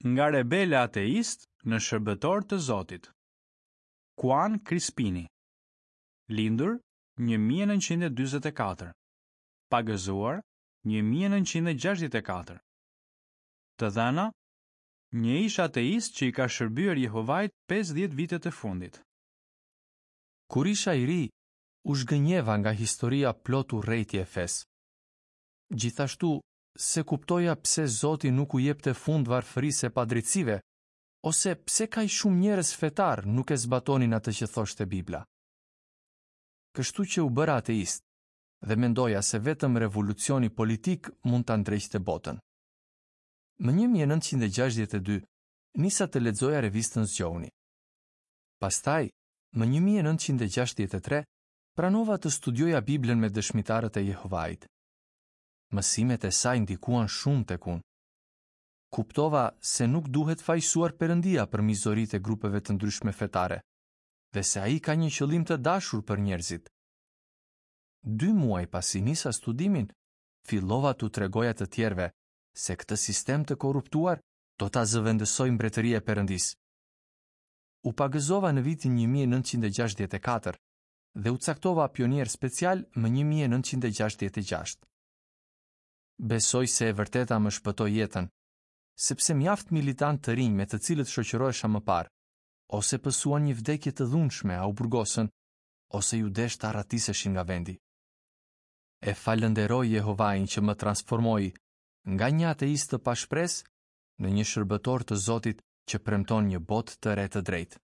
Nga rebel e ateist në shërbëtor të Zotit. Kuan Krispini. Lindur 1944. Pagëzuar 1964. Të dhëna, një ish ateist që i ka shërbyer Jehovait 50 vitet e fundit. Kur isha i ri, u zhgënjeva nga historia plot urrejtje e fesë. Gjithashtu, s'e kuptoja pse Zoti nuk u jepte fund varfërisë e padrejtësive, ose pse kaq shumë njerëz fetarë nuk e zbatonin atë që thoshte Bibla. Kështu që u bëra ateist dhe mendoja se vetëm revolucioni politik mund ta ndreqte botën. Më 1962 nisa të lexoja revistën Zgjohuni. Pastaj, më 1963, pranova të studioja Biblën me Dëshmitarët e Jehovait. Mësimet e saj ndikuan shumë tek unë. Kuptova se nuk duhet fajësuar Perëndia për mizoritë e grupeve të ndryshme fetare dhe se ai ka një qëllim të dashur për njerëzit. Dy muaj pasi nisa studimin, fillova t'u tregoja të tjerëve se këtë sistem të korruptuar do ta zëvendësojë Mbretëria e Perëndisë. U pagëzova në vitin 1964 dhe u caktova pionier special më 1966. Besoj se e vërteta më shpëtoi jetën, sepse mjaft militantë të rinj me të cilët shoqërohesha më parë, ose pësuan një vdekje të dhunshme a u burgosën, ose iu desh të arratiseshin nga vendi. E falënderoj Jehovain që më transformoi nga një ateist të pashpresë në një shërbëtor të Zotit që premton një botë të re të drejtë.